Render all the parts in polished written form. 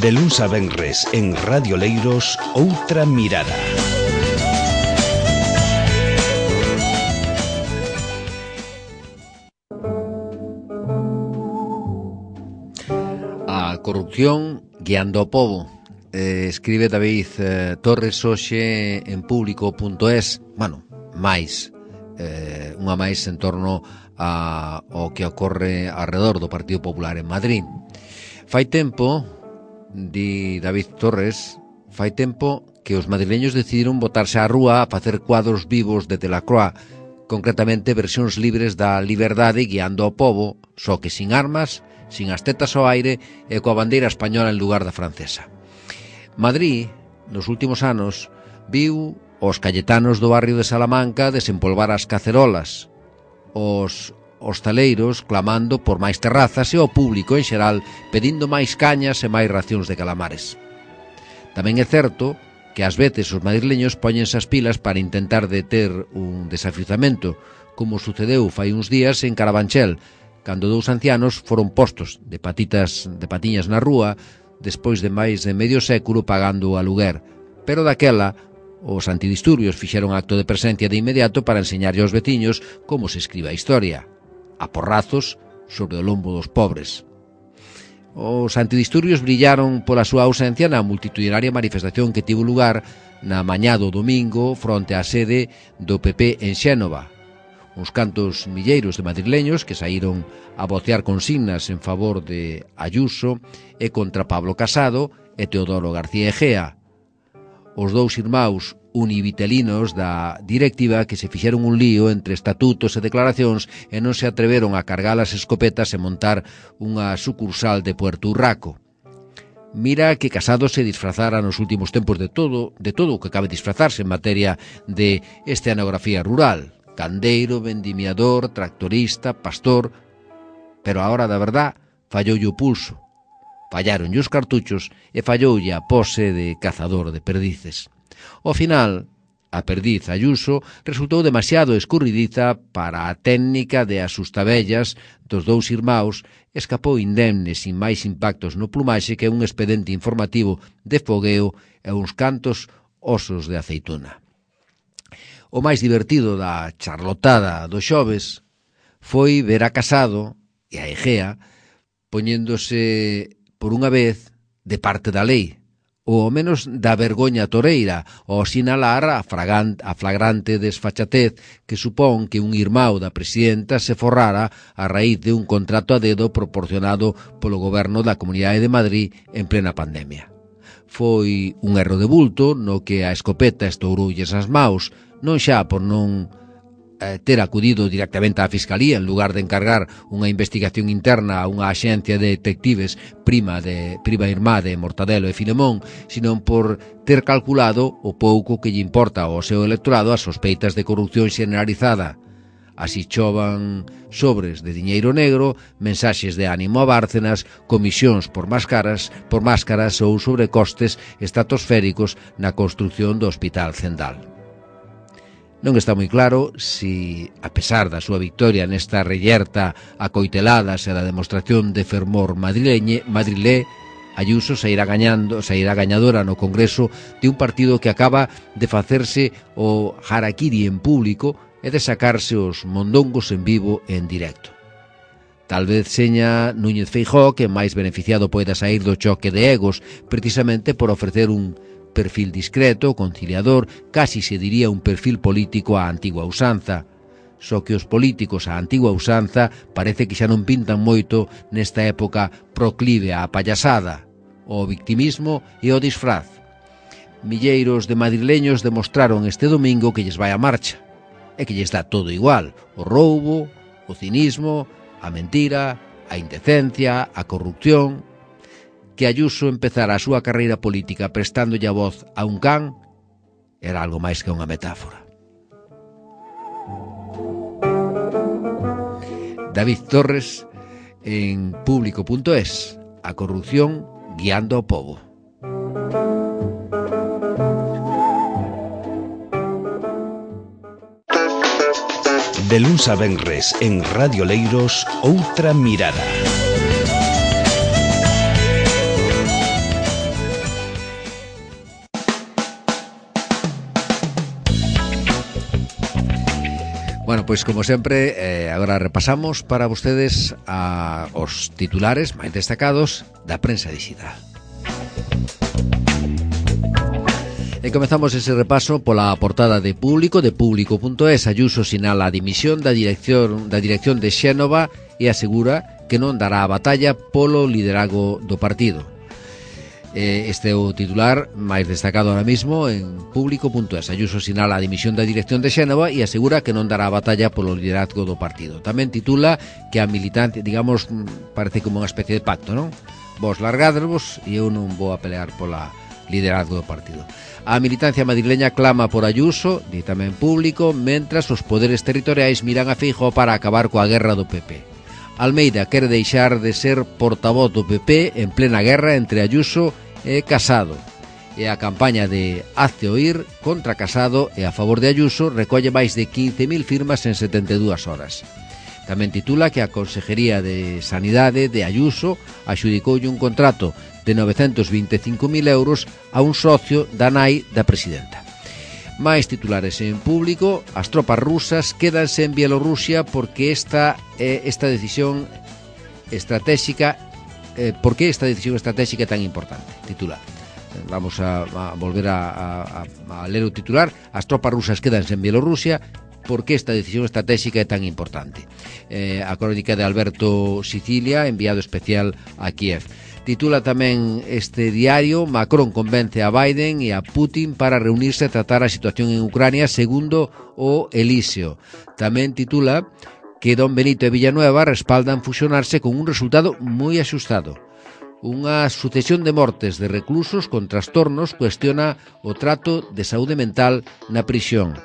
De luns a venres en Radio Leiros, Outra Mirada. A corrupción guiando ao pobo. Escribe David Torres hoxe en público.es. Bueno, unha máis en torno ao que ocorre alrededor do Partido Popular en Madrid. Fai tempo, di David Torres, que os madrileños decidiron botarse á rúa a facer cuadros vivos de Delacroix, concretamente versións libres da liberdade guiando ao pobo, só que sin armas, sin as tetas ao aire e coa bandeira española en lugar da francesa. Madrid, nos últimos anos, viu os cayetanos do barrio de Salamanca desempolvar as cacerolas, os hostaleiros clamando por máis terrazas e o público en xeral pedindo máis cañas e máis racións de calamares. Tamén é certo que ás veces os madrileños póñense as pilas para intentar deter un desafiuzamento, como sucedeu fai uns días en Carabanchel, cando dous ancianos foron postos de patiñas na rúa despois de máis de medio século pagando o aluguer. Pero daquela, os antidisturbios fixeron acto de presencia de inmediato para enseñarlle aos veciños como se escribe a historia, a porrazos sobre o lombo dos pobres. Os antidisturbios brillaron pola súa ausencia na multitudinaria manifestación que tivo lugar na mañá do domingo fronte á sede do PP en Xénova. Uns cantos milleiros de madrileños que saíron a vocear consignas en favor de Ayuso e contra Pablo Casado e Teodoro García Egea, os dous irmáns univitelinos da directiva que se fixeron un lío entre estatutos e declaracións e non se atreveron a cargar as escopetas e montar unha sucursal de Puerto Urraco. Mira que Casado se disfrazara nos últimos tempos de todo o que cabe disfrazarse en materia de escenografía rural: candeiro, vendimiador, tractorista, pastor. Pero a hora da verdad falloulle o pulso, fallaronlle os cartuchos e falloulle a pose de cazador de perdices. Ao final, a perdiz Ayuso resultou demasiado escurridiza para a técnica de asustavellas dos dous irmáns, escapou indemne sin máis impactos no plumaxe que un expedente informativo de fogueo e uns cantos osos de aceituna. O máis divertido da charlotada dos xoves foi ver a Casado e a Egea poñéndose por unha vez de parte da lei, ou ao menos da vergoña toreira, ao sinalar a flagrante desfachatez que supón que un irmão da presidenta se forrara a raíz de un contrato a dedo proporcionado polo goberno da Comunidade de Madrid en plena pandemia. Foi un erro de bulto no que a escopeta estouroulles as maus, non xa por non ter acudido directamente á Fiscalía en lugar de encargar unha investigación interna a unha axencia de detectives prima irmá de Mortadelo e Filemón, sino por ter calculado o pouco que lle importa ao seu electorado as sospeitas de corrupción xeneralizada. Así chovan sobres de diñeiro negro, mensaxes de ánimo a Bárcenas, comisións por máscaras ou sobrecostes estratosféricos na construción do Hospital Zendal. Non está moi claro si, a pesar da súa victoria nesta reyerta a coiteladas e da demostración de fermor madrilé, Ayuso sairá gañadora no Congreso de un partido que acaba de facerse o harakiri en público e de sacarse os mondongos en vivo e en directo. Tal vez seña Núñez Feijóo que máis beneficiado poida sair do choque de egos, precisamente por ofrecer un perfil discreto, conciliador, casi se diría un perfil político á antigua usanza. Só que os políticos á antigua usanza parece que xa non pintan moito nesta época proclive á payasada, ao victimismo e ao disfraz. Milleiros de madrileños demostraron este domingo que lles vai a marcha, e que lles dá todo igual: o roubo, o cinismo, a mentira, a indecencia, a corrupción. Que Ayuso empezara a súa carreira política prestándolle a voz a un can era algo máis que unha metáfora. David Torres en público.es. A corrupción guiando ao pobo. De luns a venres en Radio Leiros, Outra Mirada. Bueno, pois como sempre, agora repasamos para vostedes os titulares máis destacados da prensa digital. E comezamos ese repaso pola portada de Público.es. Ayuso sinala a dimisión da dirección de Xénova e asegura que non dará a batalla polo liderazgo do partido. Este é o titular máis destacado ahora mismo en Público.es. Ayuso sinala a dimisión da dirección de Xénova e asegura que non dará a batalla polo liderazgo do partido. Tamén titula que a militante, digamos, parece como unha especie de pacto, non? Vos largadrevos e eu non vou a pelear pola liderazgo do partido. A militancia madrileña clama por Ayuso, di tamén Público, mentras os poderes territoriais miran a Feijóo para acabar coa guerra do PP. Almeida quere deixar de ser portavoz do PP en plena guerra entre Ayuso e Casado. E a campaña de Hazte Oír contra Casado e a favor de Ayuso recolle máis de 15.000 firmas en 72 horas. Tamén titula que a Consejería de Sanidade de Ayuso adxudicoulle un contrato de 925.000 euros a un socio da nai da presidenta. Mais titulares en Público. As tropas rusas quédanse en Bielorrusia porque esta decisión estratégica ¿por qué esta decisión estratégica é tan importante? Titular. Vamos a volver a ler o titular. As tropas rusas quédanse en Bielorrusia porque esta decisión estratégica é tan importante. A crónica de Alberto Sicilia, enviado especial a Kiev. Titula tamén este diario: Macron convence a Biden e a Putin para reunirse e tratar a situación en Ucrania, segundo o Elíseo. Tamén titula que Don Benito e Villanueva respaldan fusionarse con un resultado moi axustado. Unha sucesión de mortes de reclusos con trastornos cuestiona o trato de saúde mental na prisión.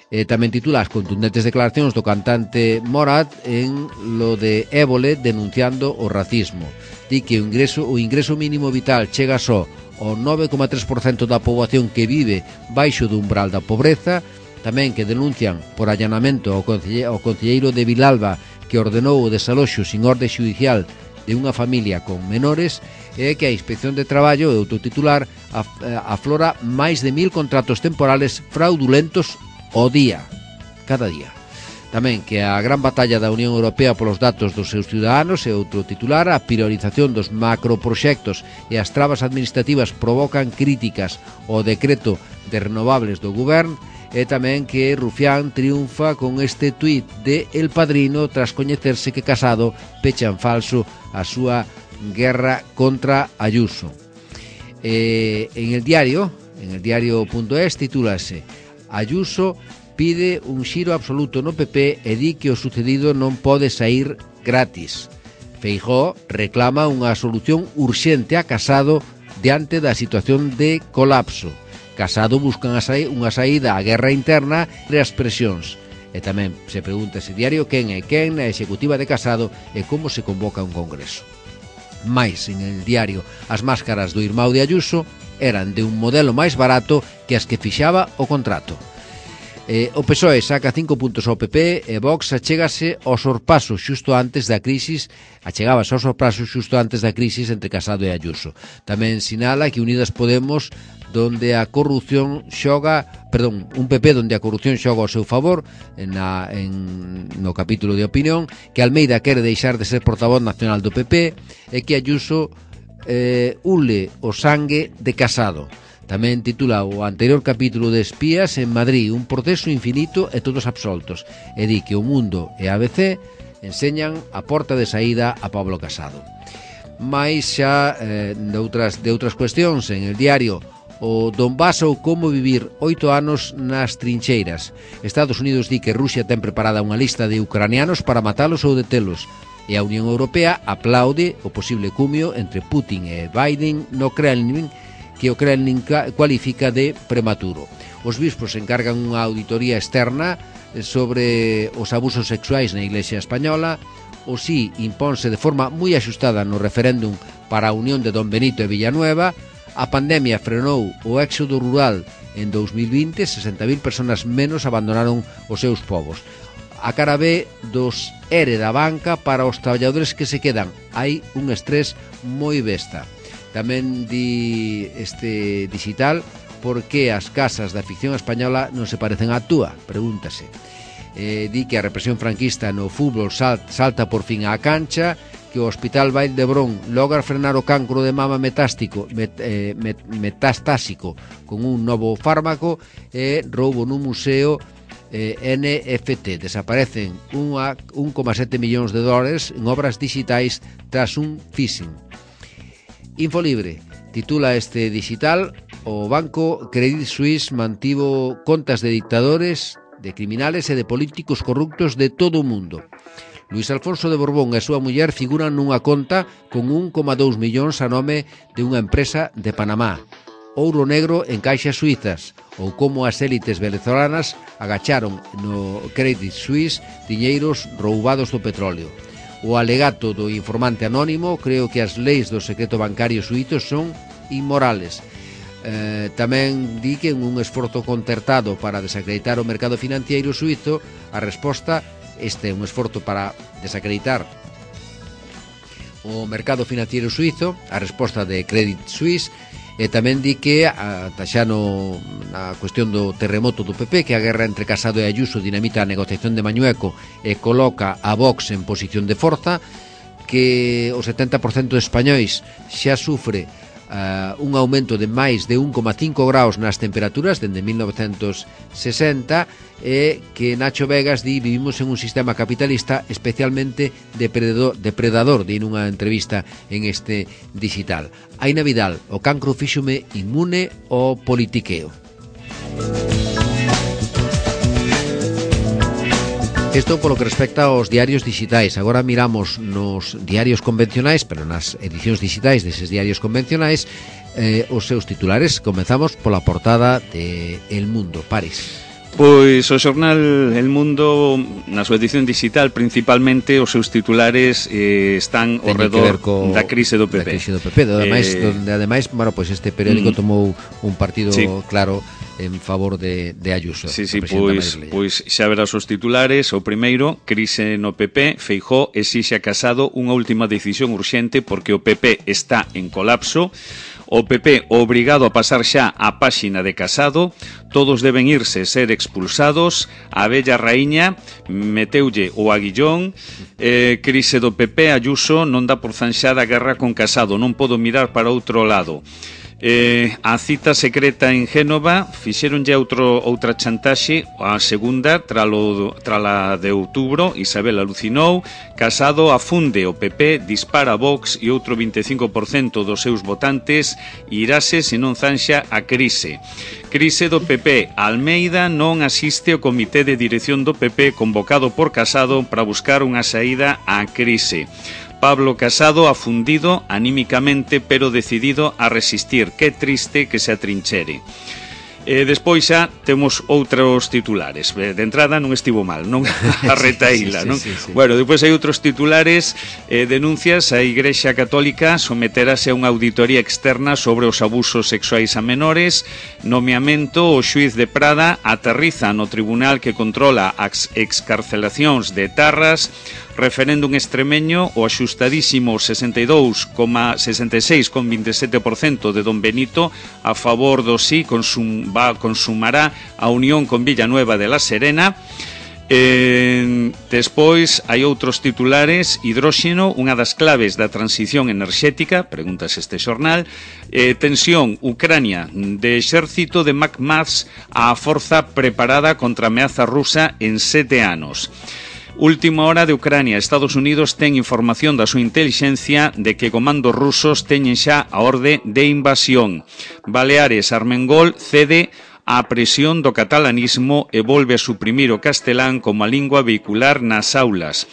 Tamén titula as contundentes declaracións do cantante Morat en lo de Évole denunciando o racismo. Di que o ingreso mínimo vital chega só ao 9,3% da poboación que vive baixo do umbral da pobreza. Tamén que denuncian por allanamento ao concelleiro de Vilalba que ordenou o desaloxo sin orde xudicial de unha familia con menores, e que a Inspección de Traballo, e outro titular, aflora máis de 1.000 contratos temporales fraudulentos ao día, cada día. Tamén que a gran batalla da Unión Europea polos datos dos seus ciudadanos, e outro titular, a priorización dos macroproxectos e as trabas administrativas provocan críticas ao decreto de renovables do Govern, e tamén que Rufián triunfa con este tuit de El Padrino tras coñecerse que Casado pecha en falso a súa guerra contra Ayuso. En el diario.es titúlase: Ayuso pide un xiro absoluto no PP e di que o sucedido non pode sair gratis. Feijóo reclama unha solución urxente a Casado diante da situación de colapso. Casado busca unha saída á guerra interna e as presións. E tamén se pregunta ese diario quen é quen na executiva de Casado e como se convoca un congreso. Mais, en el diario, as máscaras do irmão de Ayuso eran de un modelo máis barato que as que fixaba o contrato. O PSOE saca 5 puntos ao PP e Vox achegabase ao sorpaso xusto antes da crisis entre Casado e Ayuso. Tamén sinala que Unidas Podemos un PP donde a corrupción xoga ao seu favor no capítulo de opinión, que Almeida quere deixar de ser portavoz nacional do PP e que Ayuso ule o sangue de Casado. Tamén titula o anterior capítulo de Espías en Madrid, un proceso infinito e todos absoltos, e di que O Mundo e ABC enseñan a porta de saída a Pablo Casado. Mais xa de outras cuestións en el diario: o Donbass ou como vivir 8 anos nas trincheiras. Estados Unidos di que Rusia ten preparada unha lista de ucranianos para matalos ou detelos, e a Unión Europea aplaude o posible cumio entre Putin e Biden no Kremlin, que o Kremlin cualifica de prematuro. Os bispos encargan unha auditoría externa sobre os abusos sexuais na Iglesia Española. O sí imponse de forma moi axustada no referéndum para a unión de Don Benito e Villanueva. A pandemia frenou o éxodo rural en 2020, 60.000 personas menos abandonaron os seus povos. A cara B dos ERE da banca para os traballadores que se quedan. Hai un estrés moi besta. Tamén di este digital: por que as casas da ficción española non se parecen á túa? Pregúntase. di que a represión franquista no fútbol salta por fin á cancha, que o Hospital Vall d'Hebron logra frenar o cancro de mama metastásico con un novo fármaco, e roubo nun museo NFT. Desaparecen 1,7 millóns de dólares en obras digitais tras un phishing. Infolibre titula este digital: o banco Credit Suisse mantivo contas de dictadores, de criminales e de políticos corruptos de todo o mundo. Luis Alfonso de Borbón e a súa muller figuran nunha conta con 1,2 millóns a nome de unha empresa de Panamá. Ouro negro en caixas suizas, ou como as élites venezolanas agacharon no Credit Suisse diñeiros roubados do petróleo. O alegato do informante anónimo: creo que as leis do secreto bancario suízo son inmorales. Tamén di que en un esforzo concertado para desacreditar o mercado financiero suizo, a resposta, este é un esforzo para desacreditar o mercado financiero suizo, a resposta de Credit Suisse. E tamén di que, xa na cuestión do terremoto do PP, que a guerra entre Casado e Ayuso dinamita a negociación de Mañueco e coloca a Vox en posición de forza, que o 70% de españois xa sufre un aumento de máis de 1,5 graus nas temperaturas dende 1960, e que Nacho Vegas di: vivimos en un sistema capitalista especialmente depredador, di nunha entrevista en este digital. Aina Vidal: o cancro fíxome inmune ao politiqueo. Isto polo que respecta aos diarios digitais. Agora miramos nos diarios convencionais, pero nas edicións digitais deses diarios convencionais, os seus titulares. Comezamos pola portada de El Mundo. Paris. Pois o xornal El Mundo, na súa edición digital, principalmente os seus titulares están ao redor da crise do PP. Da crise do PP, donde ademais, bueno, pois este periódico tomou un partido claro en favor de Ayuso. Sí, pois xa verás os titulares. O primeiro: crise no PP, Feijóo exixe a Casado unha última decisión urxente porque o PP está en colapso. O PP obrigado a pasar xa a páxina de Casado, todos deben irse, ser expulsados. A vella raíña meteulle o aguillón. Crise do PP, Ayuso non dá por zanxada a guerra con Casado, non podo mirar para outro lado. A cita secreta en Génova, fixeronlle outra chantaxe, a segunda trala de outubro. Isabel alucinou. Casado afunde o PP, dispara Vox e outro 25% dos seus votantes irase se non zanxa a crise. Crise do PP, Almeida non asiste ao comité de dirección do PP convocado por Casado para buscar unha saída á crise. Pablo Casado afundido anímicamente, pero decidido a resistir. Que triste que se atrinchere. Despois xa temos outros titulares. De entrada non estivo mal, non a retaíla, non? Sí. Bueno, depois hai outros titulares. Denuncias: a Igrexa Católica someterase a unha auditoría externa sobre os abusos sexuais a menores. Nomeamento: o xuiz de Prada aterriza no tribunal que controla as excarcelacións de etarras. Referéndum extremeño: o axustadísimo 66,27% de Don Benito a favor do sí consumará a unión con Villanueva de la Serena. Despois hai outros titulares. Hidróxeno, unha das claves da transición enerxética, preguntas este xornal. Tensión, Ucrania, de exército de McMaths a forza preparada contra a ameaza rusa en 7 anos. Última hora de Ucrania. Estados Unidos ten información da súa intelixencia de que comandos rusos teñen xa a orde de invasión. Baleares, Armengol cede á presión do catalanismo e volve a suprimir o castelán como a lingua vehicular nas aulas.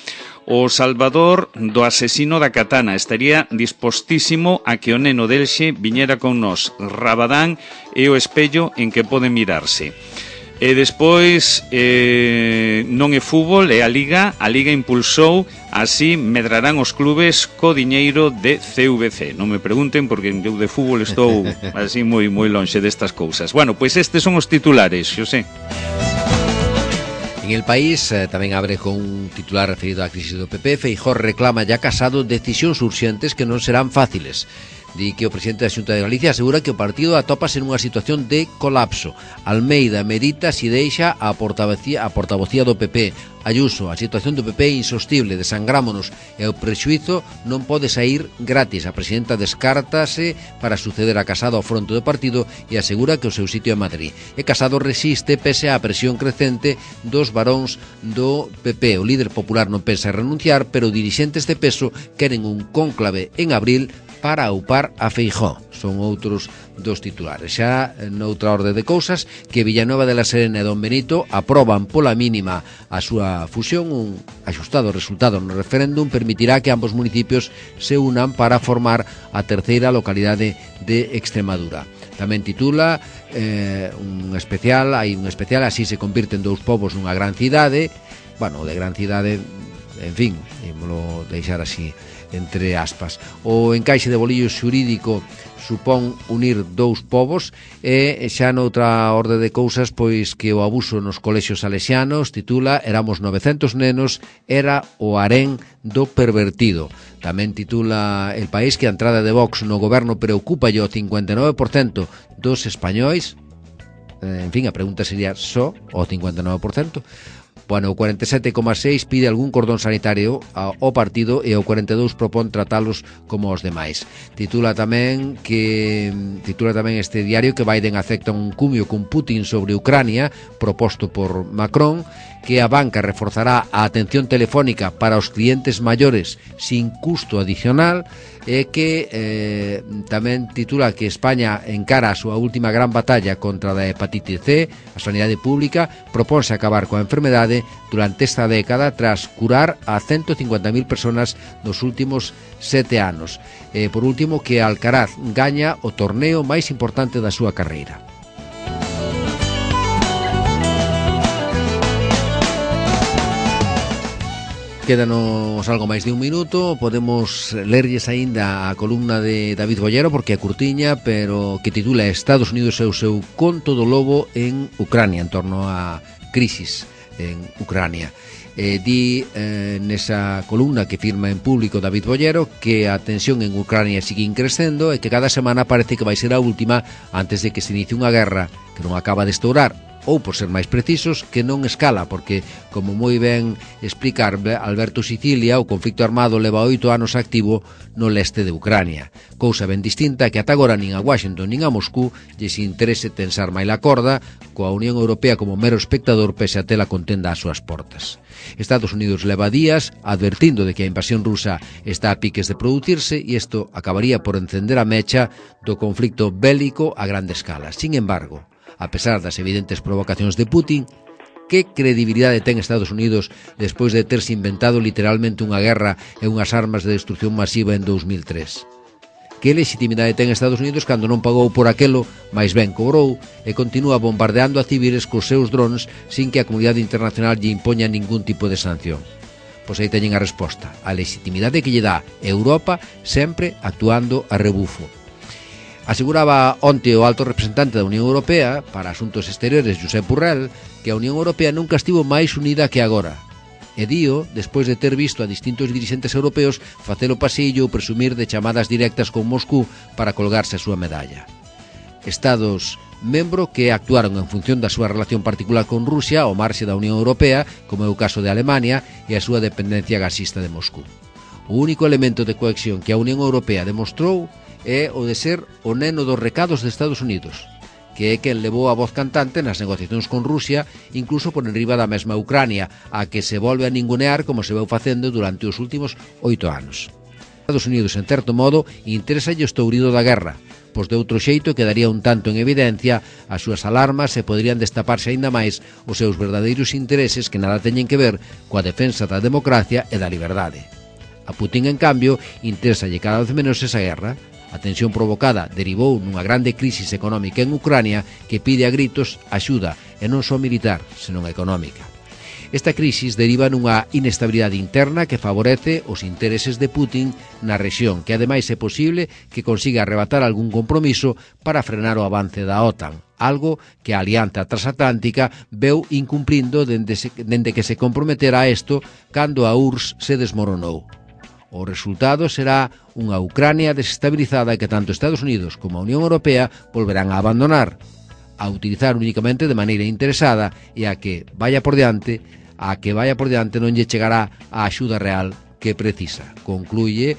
O Salvador, do asesino da katana, estaría dispostísimo a que o neno delxe viñera con nós. Rabadán é o espello en que pode mirarse. E despois non é fútbol, é a Liga. A Liga impulsou, así medrarán os clubes co diñeiro de CVC. Non me pregunten porque eu de fútbol estou así moi lonxe destas cousas. Bueno, pois estes son os titulares, Xosé. En El País tamén abre con un titular referido á crisis do PP. Feijóo reclama ya Casado decisións urxentes que non serán fáciles. Di que o presidente da Xunta de Galicia asegura que o partido atópase nunha situación de colapso. Almeida medita si deixa a portavocía do PP. Ayuso, a situación do PP é insostible, desangrámonos e o prexuízo non pode sair gratis. A presidenta descártase para suceder a Casado ao fronte do partido e asegura que o seu sitio é Madrid. E Casado resiste pese á presión crecente dos varóns do PP. O líder popular non pensa renunciar, pero dirixentes de peso queren un cónclave en abril para aupar a Feijóo. Son outros dos titulares. Xa noutra orde de cousas, que Villanueva de la Serena e Don Benito aproban pola mínima a súa fusión. Un axustado resultado no referéndum permitirá que ambos municipios se unan para formar a terceira localidade de Extremadura. Tamén titula un especial, así se convirten dous povos nunha gran cidade. Bueno, de gran cidade, en fin, ímolo deixar así entre aspas. O encaixe de bolillo xurídico supón unir dous povos e xa noutra orde de cousas, pois que o abuso nos colexios salesianos titula Éramos 900 nenos, era o harén do pervertido. Tamén titula El País que a entrada de Vox no goberno preocupa o 59% dos españois. En fin, a pregunta sería só o 59%. Bueno, o 47,6 pide algún cordón sanitario ao partido e o 42 propón tratalos como os demais. Titula tamén este diario que Biden acepta un cumio con Putin sobre Ucrania proposto por Macron, que a banca reforzará a atención telefónica para os clientes maiores sin custo adicional, e que tamén titula que España encara a súa última gran batalla contra a hepatite C. A sanidade pública propónse acabar coa enfermedade durante esta década tras curar a 150.000 personas nos últimos 7 anos. Por último, que Alcaraz gaña o torneo máis importante da súa carreira. Quédanos algo máis de un minuto. Podemos lerlles aínda a columna de David Bollero, porque é curtiña, pero que titula Estados Unidos e o seu conto do lobo en Ucrania, en torno á crisis en Ucrania. Di nesa columna que firma en público David Bollero que a tensión en Ucrania sigue crecendo e que cada semana parece que vai ser a última antes de que se inicie unha guerra que non acaba de estourar, ou, por ser máis precisos, que non escala, porque, como moi ben explica Alberto Sicilia, o conflicto armado leva 8 anos activo no leste de Ucrania. Cousa ben distinta que ata agora nin a Washington nin a Moscú lles interese tensar máis a corda, coa Unión Europea como mero espectador pese a ter a contenda ás súas portas. Estados Unidos leva días advertindo de que a invasión rusa está a piques de producirse e isto acabaría por encender a mecha do conflicto bélico a grande escala. Sin embargo, a pesar das evidentes provocacións de Putin, que credibilidade ten Estados Unidos despois de terse inventado literalmente unha guerra e unhas armas de destrucción masiva en 2003? Que legitimidade ten Estados Unidos cando non pagou por aquelo, máis ben cobrou, e continúa bombardeando a civiles cos seus drones sin que a comunidade internacional lle impoña ningún tipo de sanción? Pois aí teñen a resposta, a legitimidade que lle dá Europa sempre actuando a rebufo. Aseguraba onte o alto representante da Unión Europea para Asuntos Exteriores, Josep Borrell, que a Unión Europea nunca estivo máis unida que agora. E dío, despois de ter visto a distintos dirixentes europeos facelo pasillo ou presumir de chamadas directas con Moscú para colgarse a súa medalla. Estados membro que actuaron en función da súa relación particular con Rusia ao marxe da Unión Europea, como é o caso de Alemania e a súa dependencia gasista de Moscú. O único elemento de cohesión que a Unión Europea demostrou é o de ser o neno dos recados de Estados Unidos, que é quen levou a voz cantante nas negociacións con Rusia, incluso por enriba da mesma Ucrania, a que se volve a ningunear como se veu facendo durante os últimos 8 anos. Estados Unidos, en certo modo, interésalle o estourido da guerra, pois de outro xeito quedaría un tanto en evidencia as súas alarmas e poderían destaparse aínda máis os seus verdadeiros intereses que nada teñen que ver coa defensa da democracia e da liberdade. A Putin, en cambio, interésalle cada vez menos esa guerra. A tensión provocada derivou nunha grande crisis económica en Ucrania que pide a gritos axuda, e non só militar, senón económica. Esta crisis deriva nunha inestabilidade interna que favorece os intereses de Putin na rexión, que ademais é posible que consiga arrebatar algún compromiso para frenar o avance da OTAN, algo que a Alianza Transatlántica veu incumplindo dende que se comprometera a isto cando a URSS se desmoronou. O resultado será unha Ucrania desestabilizada que tanto Estados Unidos como a Unión Europea volverán a abandonar, a utilizar únicamente de maneira interesada e a que vaya por diante non lle chegará a axuda real que precisa. Concluye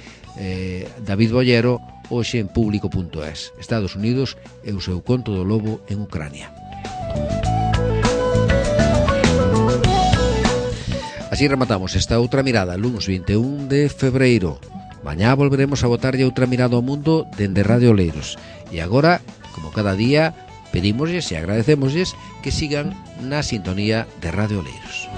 David Bollero hoxe en público.es. Estados Unidos e o seu conto do lobo en Ucrania. Así rematamos esta outra mirada, luns 21 de febreiro. Mañá volveremos a botarlle outra mirada ao mundo dende Radio Oleiros. E agora, como cada día, pedímosles e agradecémosles que sigan na sintonía de Radio Oleiros.